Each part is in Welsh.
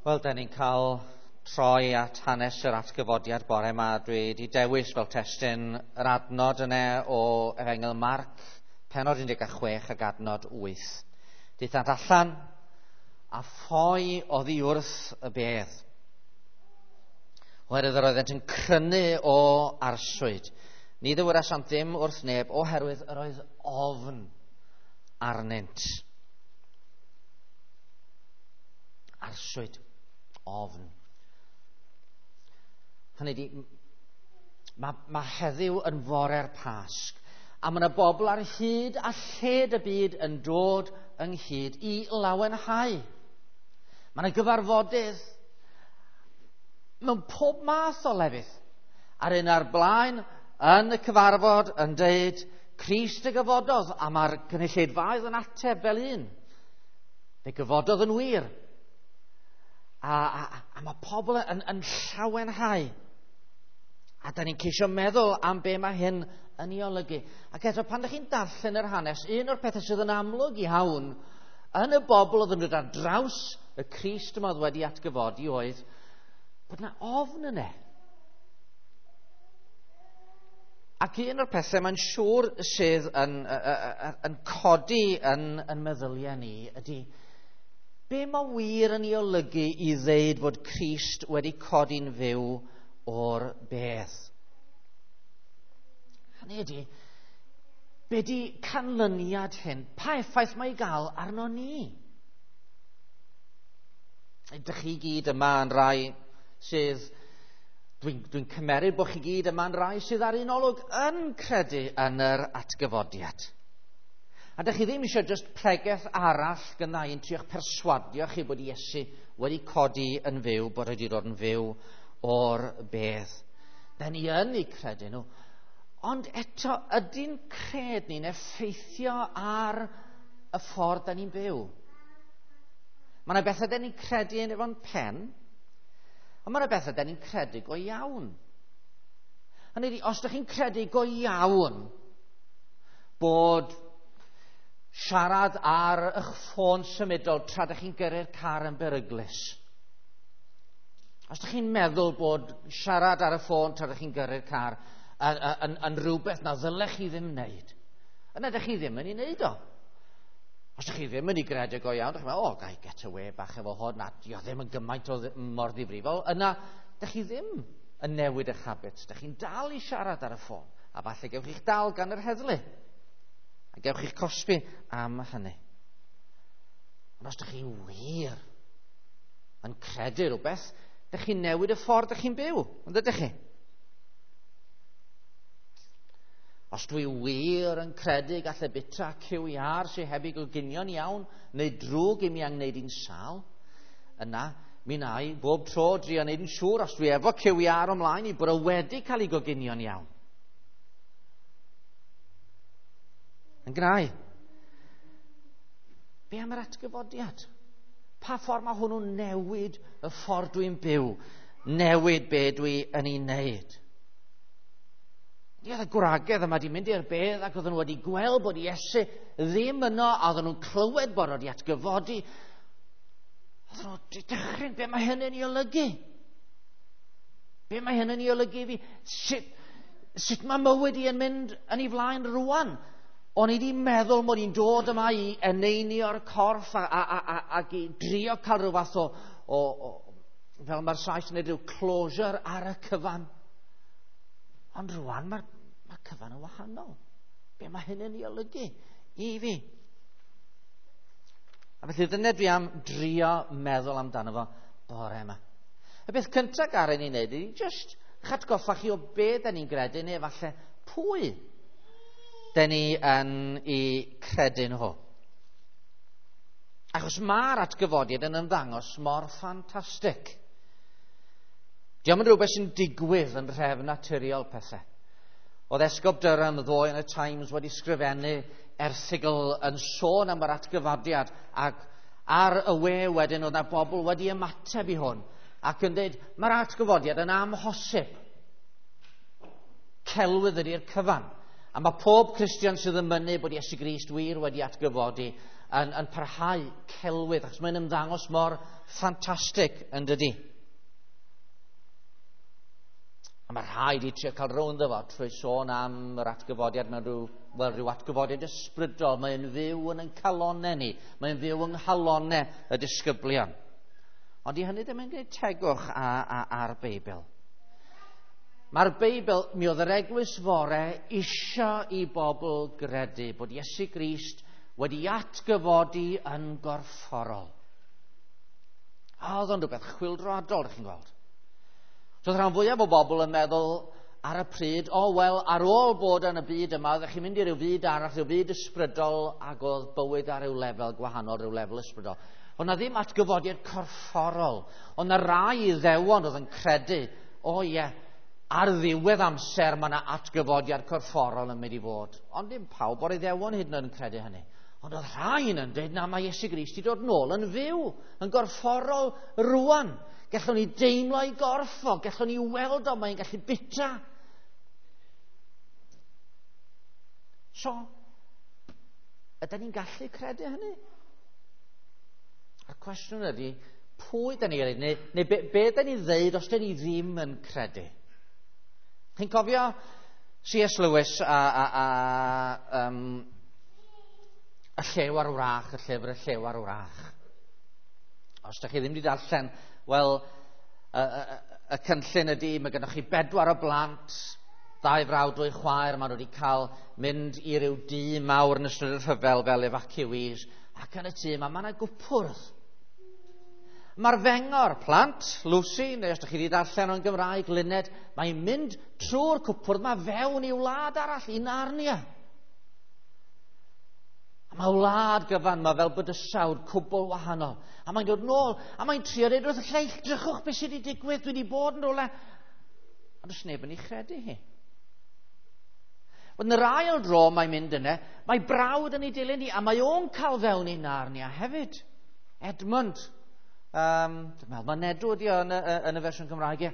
Wel, da ni'n cael troi at hanes yr atgyfodiad bore yma. Dwi wedi dewis fel testun yr adnod yna o Efengyl Marc, pennod 16 ac adnod 8. Daethant allan a ffoi oddi wrth y bedd. Oherwydd yr oeddent yn crynu o arswyd. Ni ddywedasant ddim wrth neb oherwydd yr oedd ofn arnynt. Arswyd. Ofn. Hynny ydi, mae heddiw yn fore'r Pasg, a mae yna bobl ar hyd a lled y byd yn dod ynghyd i lawenhau. Mae yna gyfarfodydd mewn pob math o lefydd. A'r un ar blaen yn y cyfarfod yn deud, Crist y gyfododd, a mae'r gynulleidfaoedd yn ateb fel un. Fe gyfododd yn wir. A mae pobl yn llawenhau. A da ni'n ceisio meddwl am be mae hyn yn ei olygu. Ac eto, pan ydych chi'n darllen yr hanes, un o'r pethau sydd yn amlwg iawn yn y bobl oedd yn dod ar draws y Crist yma oedd wedi atgyfodi oedd bod yna ofn yna. Ac un o'r pethau mae'n siŵr sydd yn codi yn meddyliau ni ydy be mae wir yn ei olygu i ddeud fod Crist wedi codi'n fyw o'r bedd. Hynny ydy, be di canlyniad hyn? Pa effaith mae i gael arno ni? Ydych chi gyd yma yn rai sydd, dwi'n cymeryd bod chi gyd yma yn rai sydd ar un olwg yn credu yn yr atgyfodiad. A dych chi ddim eisiau just pregeth arall gynna i'n trio'ch perswadio chi bod Iesu wedi codi yn fyw, bod wedi dod yn fyw o'r bedd. Da ni yn eu credu nhw. Ond eto, ydy'n cred ni'n effeithio ar y ffordd da ni'n byw? Mae yna bethau da ni'n credu yn efo'n pen, ond mae yna bethau da ni'n credu go iawn. Hynny ydi, os ydych chi'n credu go iawn bod siarad ar eich ffôn symudol tra ydych chi'n gyrru'r car yn beryglus. Os ydych chi'n meddwl bod siarad ar y ffôn tra ydych chi'n gyrru'r car yn rhywbeth na ddylech chi ddim wneud, yna ydych chi ddim yn ei wneud o. Os ydych chi ddim yn ei gredu go iawn, ydych chi'n meddwl, o, gai get away bach efo hwn, na, dio ddim yn gymaint o mor ddifrifol, yna ydych chi ddim yn newid eich habits. Ydych chi'n dal i siarad ar y ffôn, a falle gewch chi'ch dal gan yr heddlu. A gewch chi'ch cosbi am hynny. Ond os ydych chi wir yn credu rhywbeth, ydych chi'n newid y ffordd ydych chi'n byw, ond ydych chi? Os dwi wir yn credu gallai bita cyw iâr sydd heb ei goginio'n iawn, neu drwg i mi angwneud i'n sâl, yna mi wna i bob tro drio wneud yn siŵr os dwi efo cyw iâr ymlaen i bod o wedi cael ei goginio'n iawn. Yn gnau. Be am yr atgyfodiad? Pa ffordd mae hwnnw'n newid y ffordd dwi'n byw? Newid be dwi yn ei wneud? Ni oedd y gwragedd yma wedi mynd i'r bedd ac oedden nhw wedi gweld bod Iesu ddim yno, a oedden nhw'n clywed bod o wedi atgyfodi. Oedden nhw wedi dychryn, be mae hynny'n ei olygu? Be mae hynny'n ei olygu i fi? Sut mae mywyd i yn mynd yn ei flaen rwan? O'n i wedi meddwl mod i'n dod yma i eneinio'r corff ac i drio cael rhyw fath o fel mae'r Sais yn dweud, rhyw closure ar y cyfan. Ond rwan mae'r cyfan yn wahanol. Be mae hyn yn ei olygu i fi? A felly dyna dwi am drio meddwl amdano fo bore yma. Y beth cyntaf garen ni'n neud ydy just atgoffa chi o be da ni'n gredu neu falle pwy da ni yn ei credu nhw. Achos mae'r atgyfodiad yn ymddangos mor ffantastig. Dio'm yn rhywbeth sy'n digwydd yn rhefn naturiol pethau. Oedd Esgob Durham ddoe yn y Times wedi sgrifennu erthygl yn sôn am yr atgyfodiad, ac ar y we wedyn oedd yna bobl wedi ymateb i hwn ac yn dweud mae'r atgyfodiad yn amhosib. Celwydd ydy'r cyfan. A mae pob Cristion sydd yn mynnu bod Iesu Grist wir wedi atgyfodi yn parhau celwydd, achos mae'n ymddangos mor ffantastig yn dydy. A mae rhaid i trio cael rownd fo trwy sôn am yr atgyfodiad mewn rhyw atgyfodiad ysbrydol. Mae'n fyw yn ein calonau ni. Mae'n fyw yng nghalonau y disgyblion. Ond i hynny ddim yn gwneud tegwch ar Beibl. Mae'r Beibl, mi oedd yr eglwys fore isio i bobl gredu bod Iesu Grist wedi atgyfodi yn gorfforol. A oedd o'n rhywbeth chwyldroadol, ydych chi'n gweld. So oedd rhan fwyaf o bobl yn meddwl ar y pryd, ar ôl bod yn y byd yma, oeddech chi'n mynd i ryw fyd arall, ryw fyd ysbrydol, ac oedd bywyd ar ryw lefel gwahanol, ryw lefel ysbrydol. Oedd na ddim atgyfodiad corfforol. Oedd na rai Iddewon oedd yn credu, ar ddiwedd amser mae yna atgyfodiad corfforol yn mynd i fod. Ond dim pawb o'r Iddewon hyd yn oed yn credu hynny. Ond oedd rhain yn dweud, na, mae Iesu Grist i dod nôl yn fyw, yn gorfforol rwan. Gallwn ni deimlo ei gorff o, gallwn ni weld o, mae'n gallu bita. So, ydyn ni'n gallu credu hynny? A'r cwestiwn ydy, pwy dyn ni'n credu, neu be dyn ni'n ddeud os dyn ni ddim yn credu? Chi'n cofio C.S. Lewis a Y Llew a'r Wrach, y llyfr Y Llew a'r Wrach. Os ydych chi ddim wedi darllen, wel, y cynllun ydy, mae gennych chi 4 o blant, 2 frawd, 2 chwaer, maen nhw wedi cael mynd i ryw dŷ mawr yn ystod y rhyfel fel evacuees, ac yn y tŷ yma mae yna gwpwrdd. Mae'r fengor, plant, Lucy, neu os ydych chi wedi darllen o'n Gymraeg, Luned, mae'n mynd trwy'r cwpwrdd yma fewn i wlad arall, i Narnia. A mae wlad gyfan, mae fel bydysawd cwbl wahanol. A mae'n dod nôl, a mae'n trio dweud wrth y lleill, drychwch beth sydd wedi digwydd, dwi wedi bod yn rhywle. Ond does neb yn ei chredu hi. Yn yr ail dro mae'n mynd yna, mae brawd yn ei dilyn hi, a mae o'n cael fewn i Narnia hefyd. Edmund. Dwi'n meddwl, mae Nedw ydi o yn y fersiwn Cymraeg.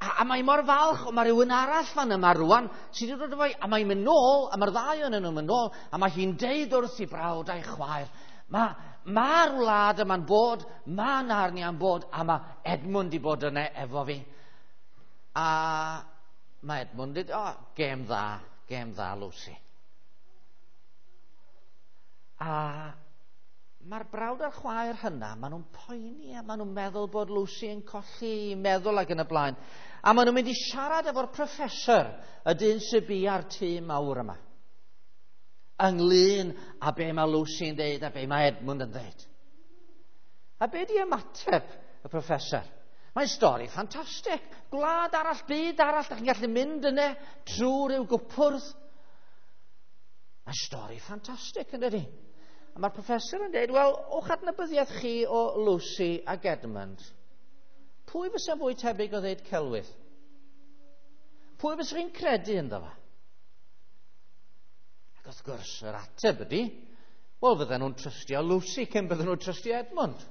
A mae mor falch, mae rhywun arall fan yma rwan sydd wedi dod efo, a mae'n mynd nôl, a mae'r ddau ohonyn nhw'n mynd nôl, a mae hi'n deud wrth i brawd a'i chwaer, mae'r wlad yma'n bod, mae Narnia'n bod, a mae Edmund i bod yna efo fi. A mae Edmund yn dweud, gêm dda, Lucy. A mae'r brawd a'r chwaer hynna, maen nhw'n poeni a maen nhw'n meddwl bod Lucy yn colli meddwl ac yn y blaen. A maen nhw'n mynd i siarad efo'r professor, y dyn sy'n bu ar tŷ mawr yma, ynglyn â be mae Lucy yn deud a be mae Edmund yn deud. A be di ymateb y professor? Mae'n stori ffantastig. Gwlad arall, byd arall, da chi'n gallu mynd yna trwy ryw gwpwrdd. Mae'n stori ffantastig, yn dydi? A mae'r professor yn dweud, wel, o'ch adnabyddiaeth chi o Lucy ac Edmund, pwy fysa fwy tebyg o ddeud celwydd? Pwy fysa chi'n credu ynddo fe? Ac wrth gwrs, yr ateb ydy, wel, fydden nhw'n trystio Lucy cyn bydden nhw'n trystio Edmund.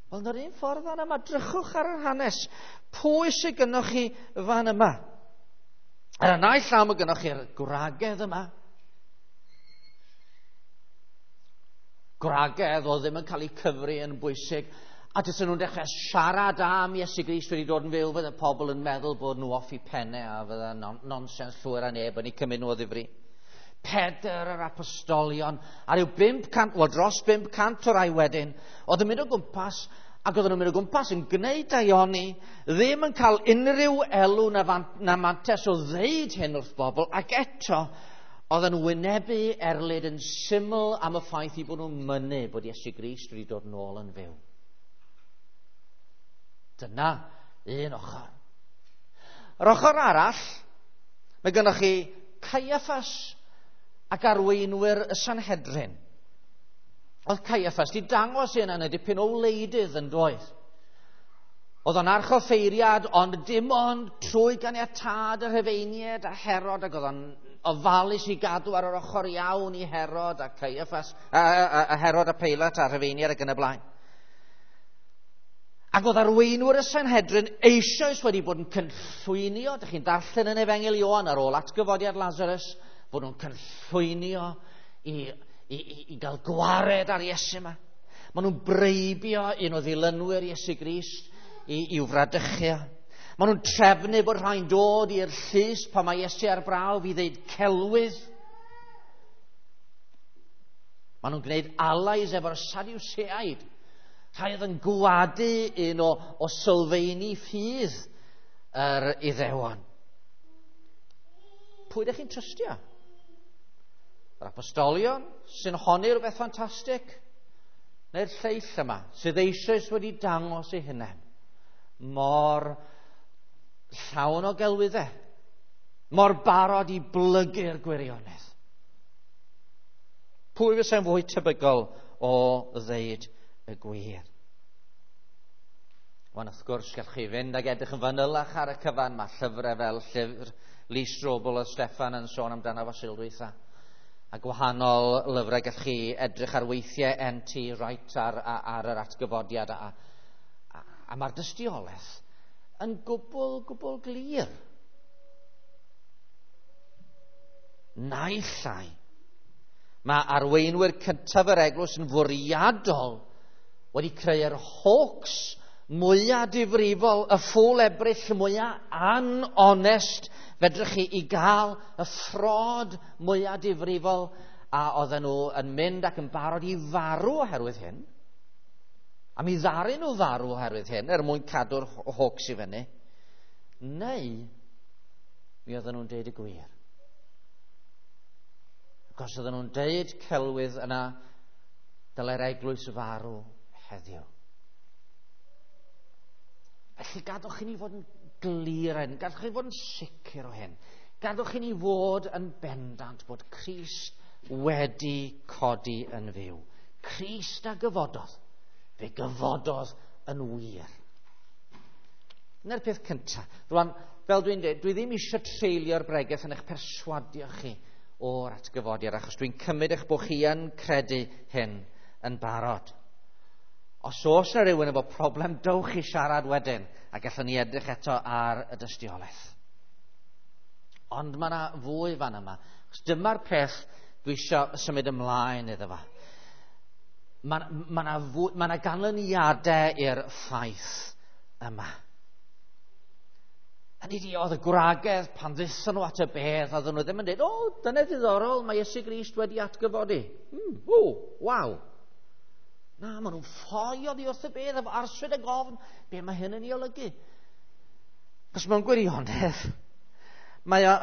Wel, yn yr un ffordd fan yma, drychwch ar yr hanes. Pwy sydd gynnoch chi fan yma? Ar y naill llaw mae gynnoch chi'r gwragedd yma. Gwragedd oedd ddim yn cael eu cyfri yn bwysig, a dysyn nhw'n dechrau siarad am Iesu Grist wedi dod yn fyw, fydde pobl yn meddwl bod nhw off i pennau a fydde nonsens llwyr a neb yn eu cymryd nhw o ddifri. Pedr yr apostolion, a ryw 500, wel dros 500 o rai wedyn, oedd yn mynd o gwmpas, ac oedden nhw'n mynd o gwmpas yn gwneud daioni, ddim yn cael unrhyw elw na mantes o ddeud hyn wrth bobl, ac eto, oedd yn wynebu erlid yn syml am y ffaith i bod nhw'n mynnu bod Iesu Grist wedi dod nôl yn fyw. Dyna un ochr. Yr ochr arall, mae gennych chi Caiaffas ac arweinwyr y Sanhedrin. Oedd Caiaffas wedi dangos hyn yn y dipyn o wleidydd yn doedd. Oedd o'n archoffeiriad, ond dim ond trwy ganiatâd y Rhufeiniaid a Herod, ac oedd o'n ofalus i gadw ar yr ochr iawn i Herod a Caiaffas, a Herod a Peilat a Rhufeiniaid ac yn y blaen. Ac oedd arweinwyr y Sanhedrin eisoes wedi bod yn cynllwynio, dych chi'n darllen yn Efengyl Ioan ar ôl atgyfodiad Lazarus, Bod nhw'n cynllwynio i gael gwared ar Iesu yma. Maen nhw'n breibio un o ddilynwyr Iesu Grist i'w fradychu. Maen nhw'n trefnu bod rhai'n dod i'r llys pan mae Iesu ar brawf i ddeud celwydd. Maen nhw'n gwneud allies efo'r Sadwseaid. Rhai oedd yn gwadu un o sylfeini ffydd yr Iddewon. Pwy ydych chi'n trystio? Yr apostolion sy'n honni rhywbeth ffantastig? Neu'r lleill yma sydd eisoes wedi dangos eu hunain mor llawn o gelwyddau, mor barod i blygu'r gwirionedd? Pwy fysa'n fwy tebygol o ddeud y gwir? Wan, wrth gwrs, gallwch chi fynd ag edrych yn fanylach ar y cyfan. Mae llyfrau fel llyfr Lee Strobel a Steffan yn sôn amdano fo Sul dwytha. A gwahanol lyfrau gallwch chi edrych ar weithiau N.T. Wright ar yr atgyfodiad. A mae'r dystiolaeth yn gwbl, gwbl glir. Naill ai. Mae arweinwyr cyntaf yr eglwys yn fwriadol wedi creu'r hoax mwyaf difrifol, y ffwl Ebrill mwyaf anonest fedrwch chi i gael, y ffrod mwyaf difrifol, a oedden nhw yn mynd ac yn barod i farw oherwydd hyn. A mi ddaru nhw farw oherwydd hyn, er mwyn cadw'r hoax i fyny. Neu, mi oedden nhw'n deud y gwir. Ac os oedden nhw'n deud celwydd yna, dylai'r eglwys farw heddiw. Felly gadwch i ni fod yn glir hyn, gadwch i ni fod yn sicr o hyn. Gadwch i ni fod yn bendant bod Crist wedi codi yn fyw. Crist a gyfododd. Fe gyfododd yn wir. Dyna'r peth cyntaf. Rwan, fel dwi'n dweud, dwi ddim eisiau treulio'r bregeth yn eich perswadio chi o'r atgyfodiad, achos dwi'n cymryd eich bod chi yn credu hyn yn barod. Os oes yna rhywun efo problem, dowch i siarad wedyn, a gallwn ni edrych eto ar y dystiolaeth. Ond mae yna fwy fan yma. Achos dyma'r peth dwi eisiau symud ymlaen iddo fo. Mae yna ganlyniadau i'r ffaith yma. Hynny ydi, oedd y gwragedd pan ddethon nhw at y bedd, oedden nhw ddim yn dweud, o, dyna ddiddorol, mae Iesu Grist wedi atgyfodi. Waw. Na, maen nhw'n ffoi oddi wrth y bedd efo arswyd ag ofn. Be mae hyn yn ei olygu? Achos mewn gwirionedd, mae o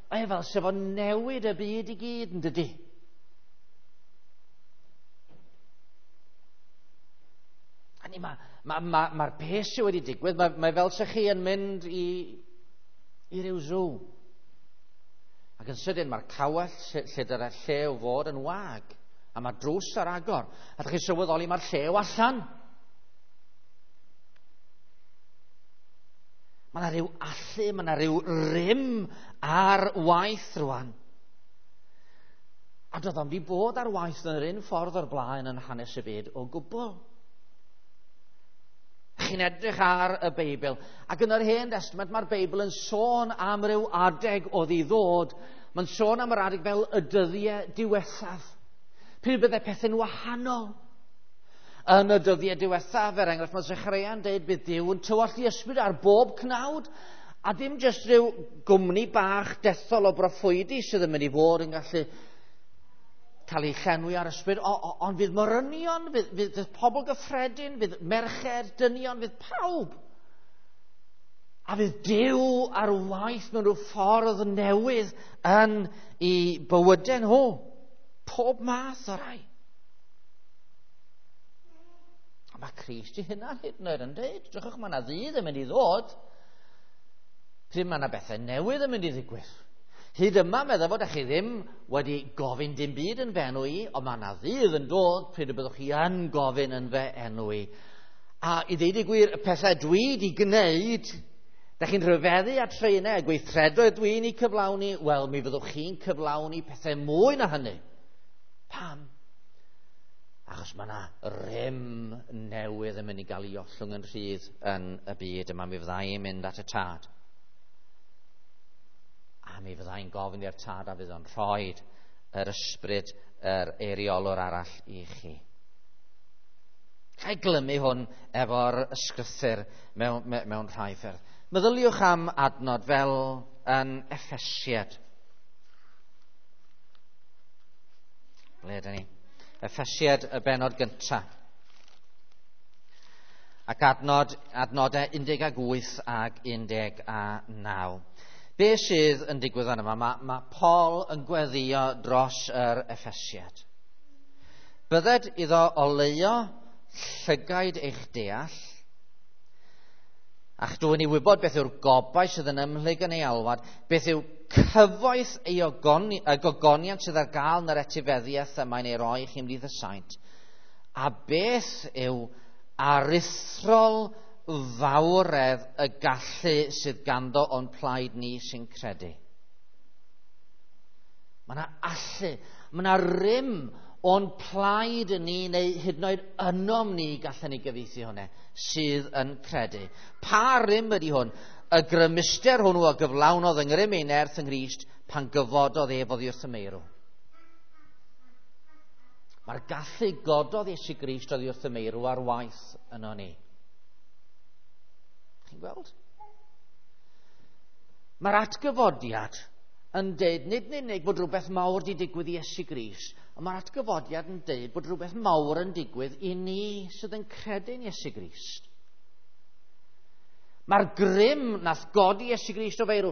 fel sef o newid y byd i gyd, yn dydi? Hynny, mae'r peth sydd wedi digwydd, mae fel se chi yn mynd i ryw zoo. Ac yn sydyn mae'r cawell lle dyna'r llew fod yn wag, a mae'r drws ar agor. A ydych chi'n sylweddoli mae'r llew allan. Mae yna rhyw allu, mae yna rhyw rym ar waith rwan. A doedd o'm 'di bod ar waith yn yr un ffordd o'r blaen yn hanes y byd o gwbl. Chi'n edrych ar y Beibl, ac yn yr Hen Testament mae'r Beibl yn sôn am ryw adeg oedd i ddod. Mae'n sôn am yr adeg fel y dyddiau diwethaf. Pryd byddai pethau'n wahanol. Yn y dyddiau diwethaf, er enghraifft, mae Zecharia'n dweud bydd Duw yn tywallt ei ysbryd ar bob cnawd, a dim jyst rhyw gwmni bach dethol o broffwydi sydd yn mynd i fod yn gallu cael ei llenwi ar ysbryd, ond fydd morynion, fydd pobl gyffredin, fydd merched, dynion, fydd pawb. A fydd Duw ar waith mewn rhyw ffordd newydd yn eu bywydau nhw. Pob math o rai. A mae Crist ei hunan hyd yn oed yn dweud, drychwch, mae yna ddydd yn mynd i ddod, pryd mae yna bethau newydd yn mynd i ddigwydd. Hyd yma, meddwl fod chi ddim wedi gofyn dim byd yn fy enw i, ond mae yna ddydd yn dod pryd y byddwch chi yn gofyn yn fy enw i. A i ddeud y gwir, y pethau dwi wedi gwneud, da chi'n rhyfeddu at rheina, y gweithredoedd dwi'n ei cyflawni, wel, mi fyddwch chi'n cyflawni pethau mwy na hynny. Pam? Achos mae yna rym newydd yn mynd i gael ei ollwng yn rhydd yn y byd yma, mi fydda i'n mynd at y tad. A mi fyddai'n gofyn i'r Tad a fydd o'n rhoi yr ysbryd, yr eiriolwr arall i chi. Ga i glymu hwn efo'r ysgrythur mewn rhai ffyrdd. Meddyliwch am adnod fel yn Effesiad. Ble ydyn ni? Effesiad y benod gyntaf. Ac adnodau 18 ag 19. Be sydd yn digwydd fan yma? Mae Paul yn gweddio dros yr Effesiad. Bydded iddo oleuo llygaid eich deall, a'ch dwyn i wybod beth yw'r gobaith sydd yn ymhlyg yn ei alwad, beth yw cyfoeth ei gogoniant sydd ar gael yn yr etifeddiaeth y mae'n ei roi i chi ymhlith y saint, a beth yw aruthrol fawredd y gallu sydd ganddo o'n plaid ni sy'n credu. Mae yna allu, mae yna rym o'n plaid ni, neu hyd yn oed ynom ni, gallen ni gyfieithu hwnna, sydd yn credu. Pa rym ydy hwn? Y grymuster hwnnw a gyflawnodd yng ngrym ei nerth yng Nghrist pan gyfododd ef oddi wrth y meirw. Mae'r gallu gododd Iesu Grist oddi wrth y meirw ar waith yno ni. Chi'n gweld? Mae'r atgyfodiad yn deud, nid yn unig bod rhywbeth mawr wedi digwydd i Iesu Grist, ond mae'r atgyfodiad yn deud bod rhywbeth mawr yn digwydd i ni sydd yn credu'n Iesu Grist. Mae'r grym nath godi Iesu Grist o feirw.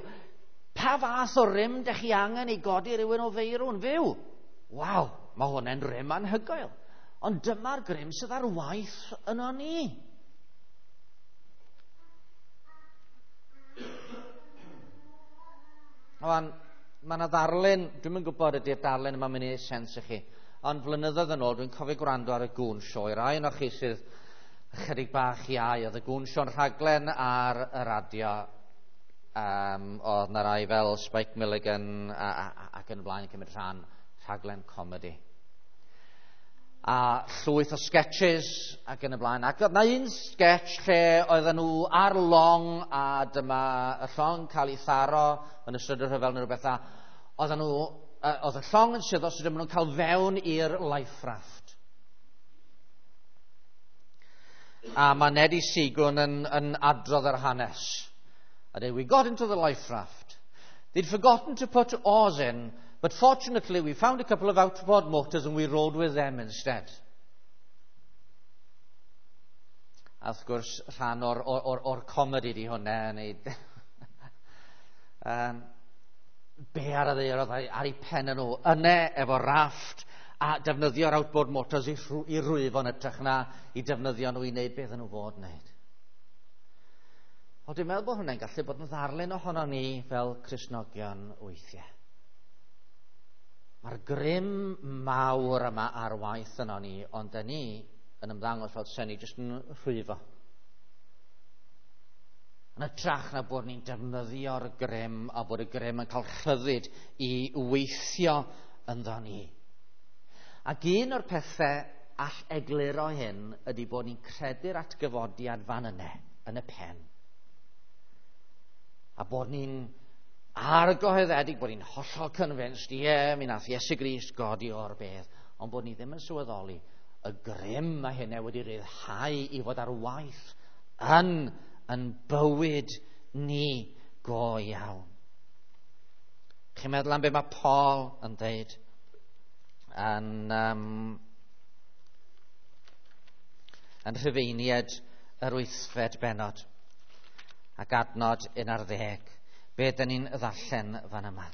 Pa fath o rym dych chi angen i godi rhywun o feirw'n fyw? Waw, mae hwnna'n rym anhygoel. Ond dyma'r grym sydd ar waith yno ni. Wan, mae yna ddarlun, dwi'm yn gwybod ydy'r darlun yma'n mynd i neud sens i chi, ond flynyddoedd yn ôl dwi'n cofio gwrando ar y Gŵn Sioe. Rai ohonoch chi sydd ychydig bach iau, oedd y Gŵn Sioe'n rhaglen ar y radio. Oedd yna rai fel Spike Milligan ac yn y blaen yn cymryd rhan, rhaglen comedi. A llwyth o sketches ac yn y blaen. Ac oedd na un sketch lle oedden nhw ar long a dyma y llong cael ei tharo yn ystod y rhyfel neu rhywbeth. A oedden nhw, oedd y llong yn suddo, so dyma nhw'n cael fewn i'r life raft. A mae Neddy Seagoon yn adrodd yr hanes. A dweud, we got into the life raft. They'd forgotten to put oars in, but fortunately we found a couple of outboard motors and we rode with them instead. A wrth gwrs, rhan o'r comedi di hwnna. Neu, be ar y ddaear oedd ar ei pen nhw? Yna efo rafft a defnyddio'r outboard motors i rwyfo yn hytrach na i defnyddio nhw i wneud beth nhw fod wneud. Ond dwi'n meddwl bod hwnna'n gallu bod yn ddarlun ohono ni fel Cristnogion weithiau. Mae'r grym mawr yma ar waith yno ni, ond da ni yn ymddangos fel sen ni jyst yn rhwyfo. Yn hytrach na bod ni'n defnyddio'r grym a bod y grym yn cael rhyddid i weithio ynddo ni. Ac un o'r pethau all egluro hyn ydy bod ni'n credu'r atgyfodiad fan yna, yn y pen. A bod ni'n argyhoeddedig, bod ni'n hollol convinced, ie, mi nath Iesu Grist godi o'r bedd, ond bod ni ddim yn sylweddoli y grym mae hynna wedi rhyddhau i fod ar waith yn bywyd ni go iawn. Chi'n meddwl am be mae Paul yn dweud yn Rhufeiniaid yr 8fed bennod ac adnod 11. Be dyn ni'n ddarllen fan yma?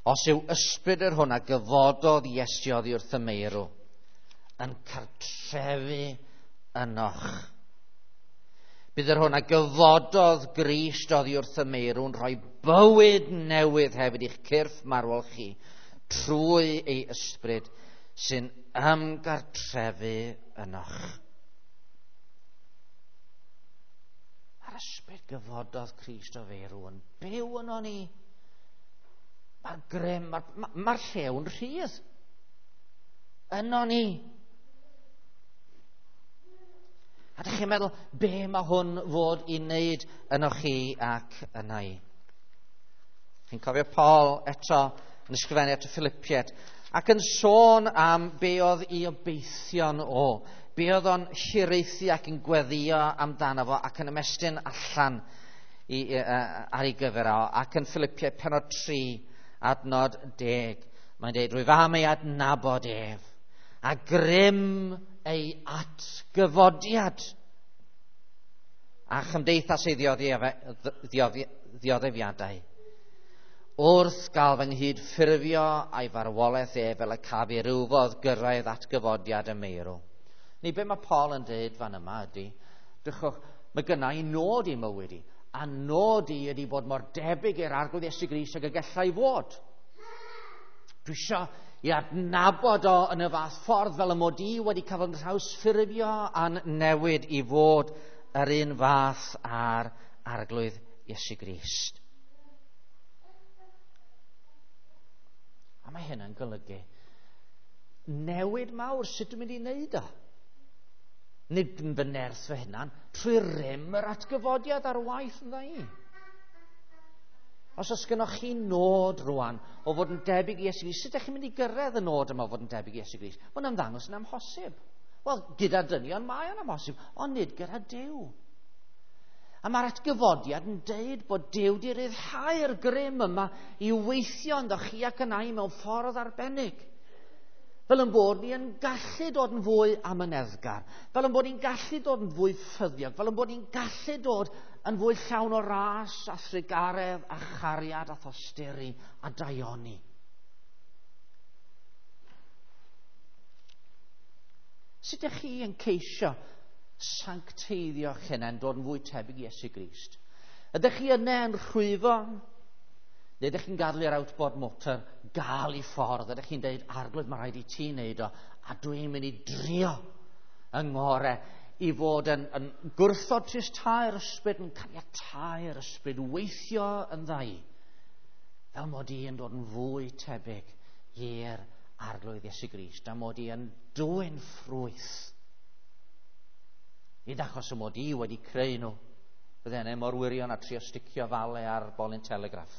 Os yw ysbryd yr hwn a gyfododd Iesu oddi wrth y meirw yn cartrefu ynoch, bydd yr hwn a gyfododd Grist oddi wrth y meirw yn rhoi bywyd newydd hefyd i'ch cyrff marwol chi trwy ei ysbryd sy'n ymgartrefu ynoch. Mae'r ysbryd gyfododd Crist o feirw yn byw yno ni. Mae'r grym, mae'r llew'n rhydd yno ni. A A dych chi'n meddwl, be mae hwn fod i wneud yno chi ac yna i? Chi'n cofio Paul eto yn ysgrifennu at y Philippiaid ac yn sôn am be oedd i obeithion o, be oedd o'n hiraethu ac yn gweddio amdano fo ac yn ymestyn allan ar ei gyfer o, ac yn Philippiaid pennod 3 adnod 10, mae'n dweud, rwyf am ei adnabod ef, a grym ei atgyfodiad, a chymdeithas ei ddioddefiadau, wrth gael fy nghydffurfio a'i farwolaeth ef fel y caf i rywfodd gyrraedd atgyfodiad y meirw. Ni be mae Paul yn dweud fan yma ydy, drychwch, mae gynna i nod i mywyd i, a nod i ydy bod mor debyg i'r Arglwydd Iesu Grist ag y gallai fod. Dwi isio i adnabod o yn y fath ffordd fel y mod i wedi cael fy nhrawsffurfio a'n newid i fod yr un fath â'r Arglwydd Iesu Grist. A mae hyn yn golygu newid mawr. Sut dwi'n mynd i wneud o? Nid yn fy nerth fy hunan, trwy rym yr atgyfodiad ar waith ynddo i. Os oes gennoch chi nod rwan o fod yn debyg i Iesu Grist, sut ydych chi'n mynd i gyrraedd y nod yma o fod yn debyg i Iesu Grist? Mae'n ymddangos yn amhosib. Wel, gyda dynion mae o'n amhosib, ond nid gyda Duw. A mae'r atgyfodiad yn deud bod Duw wedi rhyddhau'r grym yma i weithio ynddo chi ac yna i mewn ffordd arbennig. Fel yn bod ni yn gallu dod yn fwy amyneddgar, fel yn bod ni'n gallu dod yn fwy ffyddiog, fel yn bod ni'n gallu dod yn fwy llawn o ras a thrugaredd a chariad a thosturi a daioni. Sut ydych chi yn ceisio sancteiddio'ch hunain, dod yn fwy tebyg i Iesu Grist? Ydych chi yna yn rhwyfo? Neu ydych chi'n gadael i'r outboard motor gael ei ffordd? Ydych chi'n deud, Arglwydd, mae rhaid i ti wneud o, a dwi'n mynd i drio yng ngore i fod yn gwrthod tristau'r ysbryd, yn caniatau'r ysbryd weithio yn dda i, fel mod i yn dod yn fwy tebyg i'r Arglwydd Iesu Grist, a mod i yn dwyn ffrwyth. Nid achos y mod i wedi creu nhw, bydde hynny mor wirion a trio sticio fale ar bolyn telegraff.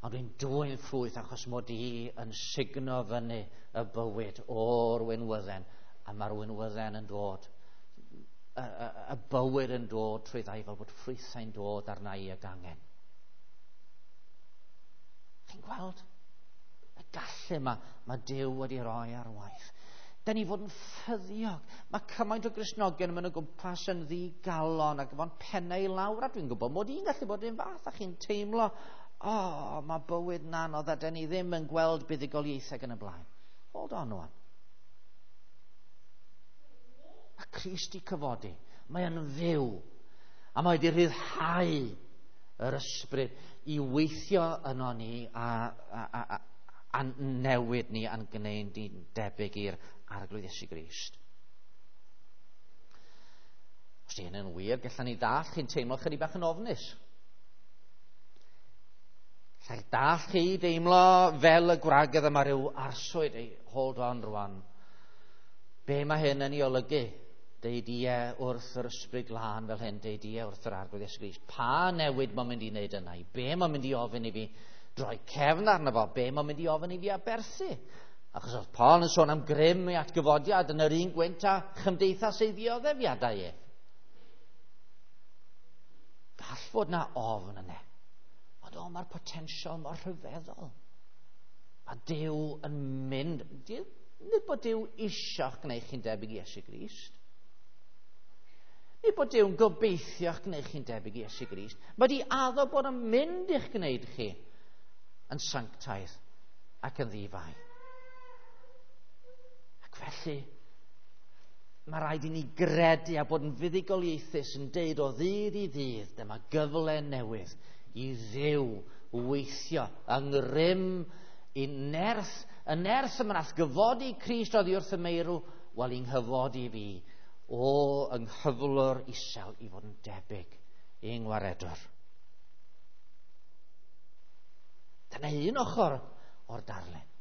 Ond dwi'n dwyn ffrwyth achos mod i yn sugno fyny y bywyd o'r winwydden, a mae'r winwydden yn dod, y bywyd yn dod trwy ddau fel bod ffrwythau'n dod arna i ag angen. Chi'n gweld y gallu yma mae Duw wedi rhoi ar waith. Da ni fod yn ffyddiog. Mae cymaint o Gristnogion yn mynd o gwmpas yn ddigalon ac efo'n pennau i lawr, a dwi'n gwybod mod i'n gallu bod un fath, a chi'n teimlo, o, mae bywyd yn anodd a da ni ddim yn gweld buddugoliaethau yn y blaen. Hold on rwan. Mae Crist 'di cyfodi. Mae yn fyw. A mae wedi rhyddhau yr ysbryd i weithio yno ni a newid ni a'n gwneud ni'n debyg i'r Arglwydd Iesu Grist. Os di hyn yn wir, gallwn ni ddall chi'n teimlo chydig bach yn ofnus. Gallai dall chi deimlo fel y gwragedd yma rhyw arswyd. Ei, hold on rwan. Be mae hyn yn ei olygu? Deud ie wrth yr ysbryd glân fel hyn, deud ie wrth yr Arglwydd Iesu Grist. Pa newid mae'n mynd i wneud yna? Be mae'n mynd i ofyn i fi droi cefn arno fo? Be mae'n mynd i ofyn i fi aberthu? Achos oedd Paul yn sôn am grym ei atgyfodiad yn yr un gwynt a chymdeithas ei ddioddefiadau ef. Gall fod na ofn yna. Ond o, mae'r potensial mor rhyfeddol. Mae Duw yn mynd... Nid bod Duw isio'ch gwneud chi'n debyg i Iesu Grist. Nid bod Duw'n gobeithio'ch gwneud chi'n debyg i Iesu Grist. Mae di addo bod yn mynd i'ch gwneud chi yn sanctaidd ac yn ddifai. Ac felly, mae rhaid i ni gredu a bod yn fuddugoliaethus yn deud o ddydd i ddydd, dyma gyfle newydd i Dduw weithio yng ngrym i nerth, y nerth yma nath gyfodi Crist oddi wrth y meirw, wel i'n nghyfodi fi o yng nghyflwr isel i fod yn debyg i'n ngwaredwr. Dyna un ochr o'r darlun.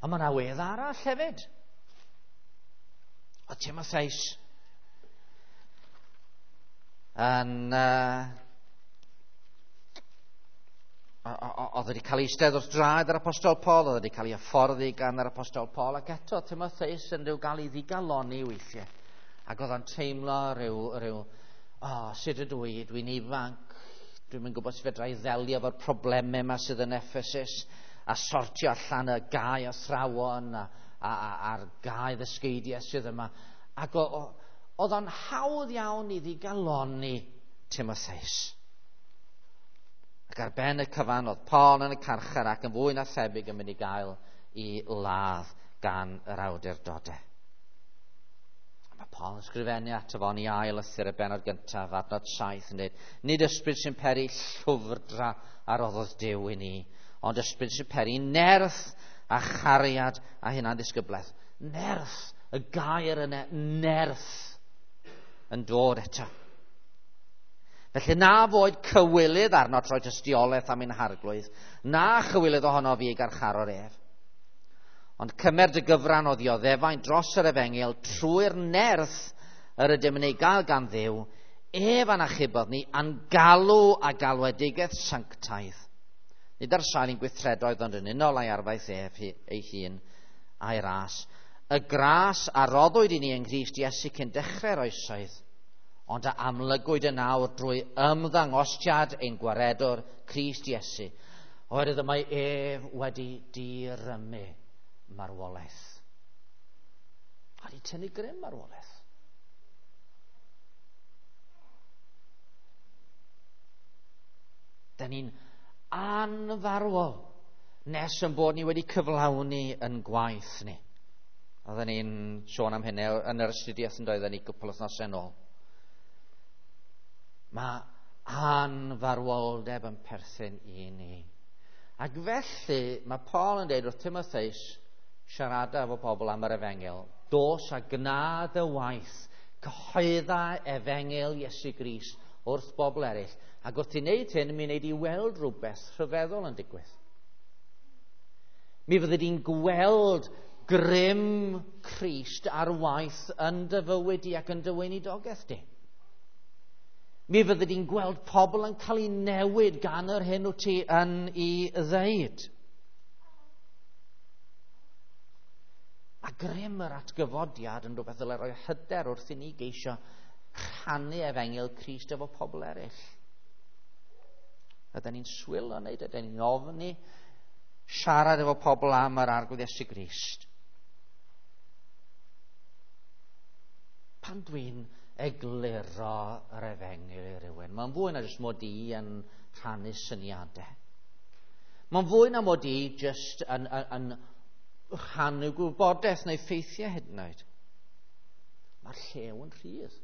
Ond mae yna wedd arall hefyd. Oedd Timotheus yn oedd wedi cael ei eistedd wrth draed yr Apostol Paul, oedd wedi cael ei hyfforddi gan yr Apostol Paul, ac eto Timotheus yn rhyw gael ei ddigalonni weithiau. Ac oedd o'n teimlo rhyw sut ydw i, dwi'n ifanc, dwi'm yn gwybod sut fedra i ddelio efo'r problemau yma sydd yn Ephesus, a sortio allan y gau athrawon a'r gau ddysgeidiau sydd yma. Ac oedd o'n hawdd iawn i ddigalonni Timotheus. Ac ar ben y cyfan oedd Paul yn y carchar ac yn fwy na thebyg yn mynd i gael i ladd gan yr awdurdodau. Mae Paul yn ysgrifennu ato fo yn ei ail lythyr y bennod gyntaf, adnod 7, yn dweud, nid ysbryd sy'n peri llwfrdra a roddodd Duw i ni, ond ysbryd sy'n peri nerth a chariad a hunanddisgyblaeth. Nerth, y gair yna, nerth, yn dod eto. Felly na foed cywilydd arno troi tystiolaeth am ein harglwydd, na chywilydd ohono fi ei garcharor ef. Ond cymer dy gyfran o ddioddefaint dros yr efengyl trwy'r nerth yr ydym yn ei gael gan Dduw, ef a'n achubodd ni a'n galw a galwedigaeth sanctaidd. Nid ar sail ein gweithredoedd ond yn unol â'i arfaeth ef ei hun a'i ras. Y gras a roddwyd i ni yng Nghrist Iesu cyn dechrau'r oesoedd, ond a amlygwyd yn awr drwy ymddangosiad ein gwaredwr Crist Iesu, oherwydd y mae ef wedi dirymu marwolaeth. A wedi tynnu grym marwolaeth. Da ni'n anfarwol nes yn bod ni wedi cyflawni yn gwaith ni. Oedden ni'n sôn am hynny yn yr astudiaeth yn doedden ni gwpl wythnosau nôl. Mae anfarwoldeb yn perthyn i ni. Ac felly mae Paul yn dweud wrth Timotheus, siarada efo pobl am yr efengyl, dos a gna dy waith, cyhoedda efengyl Iesu Grist wrth bobl eraill. Ac wrth i wneud hyn, mi wneud i weld rhywbeth rhyfeddol yn digwydd. Mi fyddi di'n gweld grym Crist ar waith yn dy fywyd di ac yn dy weinidogaeth di. Mi fyddi di'n gweld pobl yn cael ei newid gan yr hyn wyt ti yn ei ddeud. Mae grym yr atgyfodiad yn rhywbeth ddylai roi hyder wrth i ni geisio rhannu efengyl Crist efo pobl eraill. Ydyn ni'n swil o wneud, ydyn ni'n ofni siarad efo pobl am yr Arglwydd Iesu Grist. Pan dwi'n egluro yr efengyl i rywun, mae'n fwy na jyst mod i yn rhannu syniadau. Mae'n fwy na mod i jyst yn rhannu gwybodaeth neu ffeithiau hyd yn oed. Mae'r llew yn rhydd.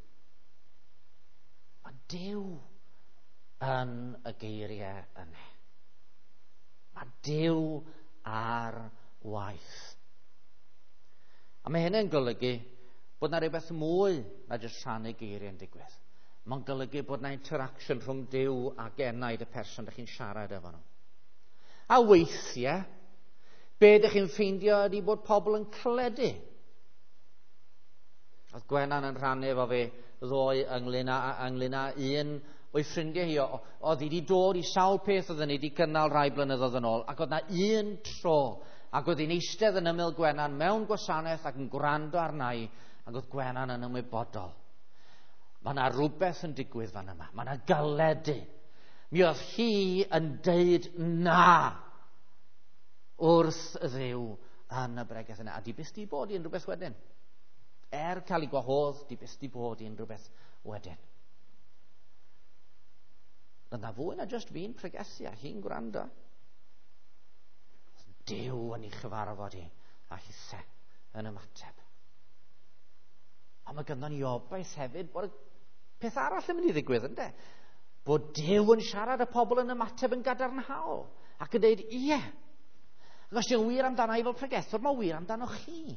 Mae Duw yn y geiriau yna. Mae Duw ar waith. A mae hynny'n golygu bod yna rhywbeth mwy na jyst rhannu geiriau yn digwydd. Mae'n golygu bod yna interaction rhwng Duw ac enaid y person ydych chi'n siarad efo nhw. A weithiau, be ydych chi'n ffeindio ydy bod pobl yn cledu. Oedd Gwenan yn rhannu efo fi ddoe ynglyn â un o'i ffrindiau hi. Oedd hi wedi dod i sawl peth oedden ni wedi cynnal rai blynyddoedd yn ôl, ac oedd yna un tro, ac oedd hi'n eistedd yn ymyl Gwenan mewn gwasanaeth ac yn gwrando arna i, ac oedd Gwenan yn ymwybodol. Mae yna rhywbeth yn digwydd fan yma. Mae yna galedu. Mi oedd hi yn deud na wrth Dduw yn y bregeth yna. A di byth di bod i unrhyw beth wedyn. Er cael ei gwahodd, di byth di bod i unrhyw beth wedyn. Yna fwy na jyst fi'n pregethu a hi'n gwrando. Duw yn ei chyfarfod hi a hithe yn ymateb. Ond mae ganddo ni obaith hefyd bod y peth arall yn mynd i ddigwydd, ynde? Bod Duw yn siarad y pobl yn ymateb yn gadarnhaol ac yn dweud, ie. Ac os di'n wir amdano i fel pregethwr, mae wir amdano chi.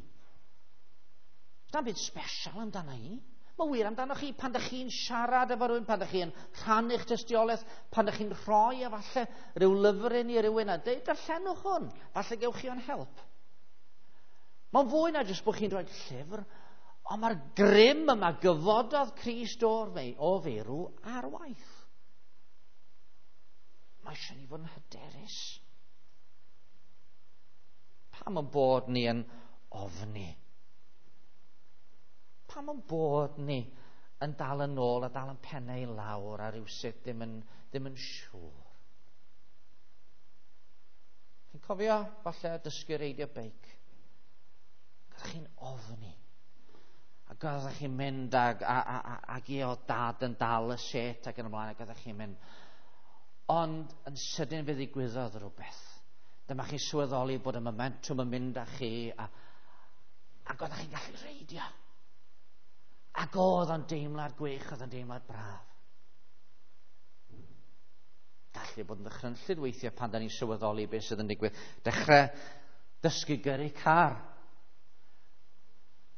Does byd special amdano i. Mae wir amdano chi pan ydych chi'n siarad efo rhywun, pan ydych chi'n rhannu'ch tystiolaeth, pan ydych chi'n rhoi efallai rhyw lyfryn i rywun a dweud, darllenwch hwn, falle gewch chi o'n help. Mae'n fwy na jyst bod chi'n rhoi llyfr, Ond mae'r grym yma gyfododd Crist o feirw ar waith. Mae eisiau ni fod yn hyderus. Pam yn bod ni yn ofni? Pam yn bod ni yn dal yn ôl a dal yn pennau i lawr a rhywsut ddim yn siŵr? Chi'n cofio falle dysgu reidio beic? Oeddech chi'n ofni. Ac oeddech chi'n mynd ag i o dad yn dal y set ac yn ymlaen, ac oeddech chi'n mynd. Ond yn sydyn fe ddigwyddodd rhywbeth. Dyma chi sylweddoli bod y momentum yn mynd â chi ac oeddech chi'n gallu reidio. Ac oedd o'n deimlad gwych, oedd o'n deimlad braf. Gallu bod yn ddychrynllyd weithiau pan da ni'n sylweddoli beth sydd yn digwydd. Dechrau dysgu gyrru car.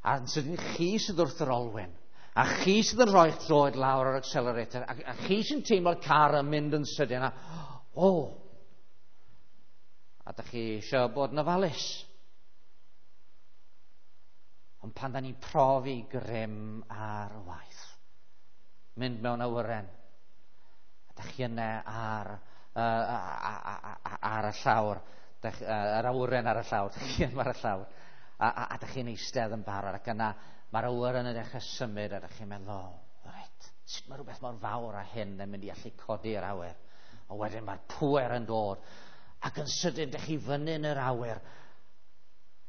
A yn sydyn chi sydd wrth yr olwyn, a chi sydd yn rhoi'ch droed lawr o'r accelerator, a chi sy'n teimlo'r car yn mynd yn sydyn, a a da chi eisiau bod yn ofalus. Ond pan da ni'n profi grym ar waith, mynd mewn awyren, a da chi yna ar y llawr, yr awyren ar y llawr, da chi yna ar y llawr, a da chi'n eistedd yn barod, ac yna mae'r awyren yn dechrau symud, a da chi'n meddwl, reit, sut mae rhywbeth mor fawr â hyn yn mynd i allu codi'r awyr? A wedyn mae'r pŵer yn dod, ac yn sydyn da chi fyny yn yr awyr,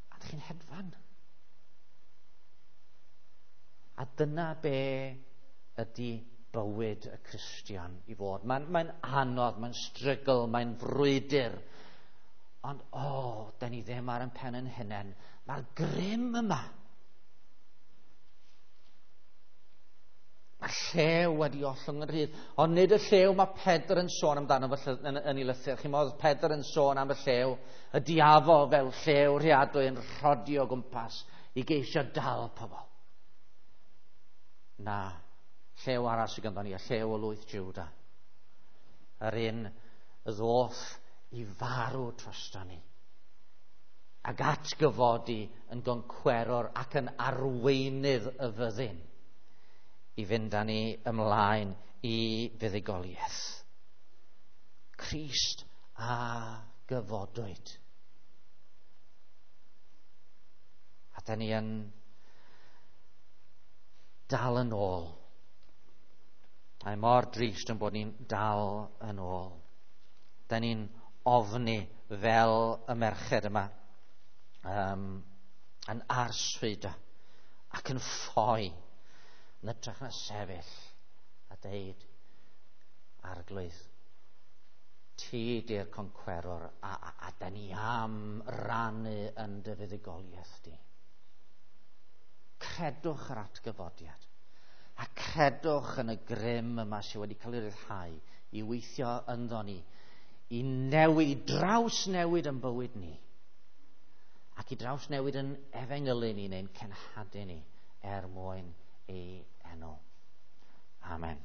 a da chi'n hedfan. A dyna be ydy bywyd y Cristion i fod. Mae'n anodd, mae'n strygl, mae'n frwydr. Ond, da ni ddim ar ein pen yn hunain. Mae'r grym yma. Mae'r llew wedi ollwng yn rhydd. Ond nid y llew mae Pedr yn sôn amdano yn ei lythyr. Chi'n meddwl Pedr yn sôn am y llew, y diafol fel llew rheadwy yn rhodio o gwmpas i geisio dal pobl. Na, llew arall sydd ganddo ni, y llew o lwyth Juda. Yr un ddoth i farw drosto ni. Ac atgyfodi yn goncwerwr ac yn arweinydd y fyddin i fynd â ni ymlaen i fuddugoliaeth. Crist a gyfodwyd. A da ni yn dal yn ôl. Mae mor drist yn bod ni'n dal yn ôl. Da ni'n ofni fel y merched yma, yn arswyd ac yn ffoi, yn hytrach na sefyll a deud, Arglwydd, ti di'r concwerwr, a da ni am rannu yn dy fuddugoliaeth di. Credwch yr atgyfodiad, a credwch yn y grym yma sydd wedi cael ei ryddhau i weithio ynddo ni, i newid, drawsnewid yn bywyd ni, ac i drawsnewid yn efengylu ni neu'n cenhadu ni er mwyn ei enw. Amen.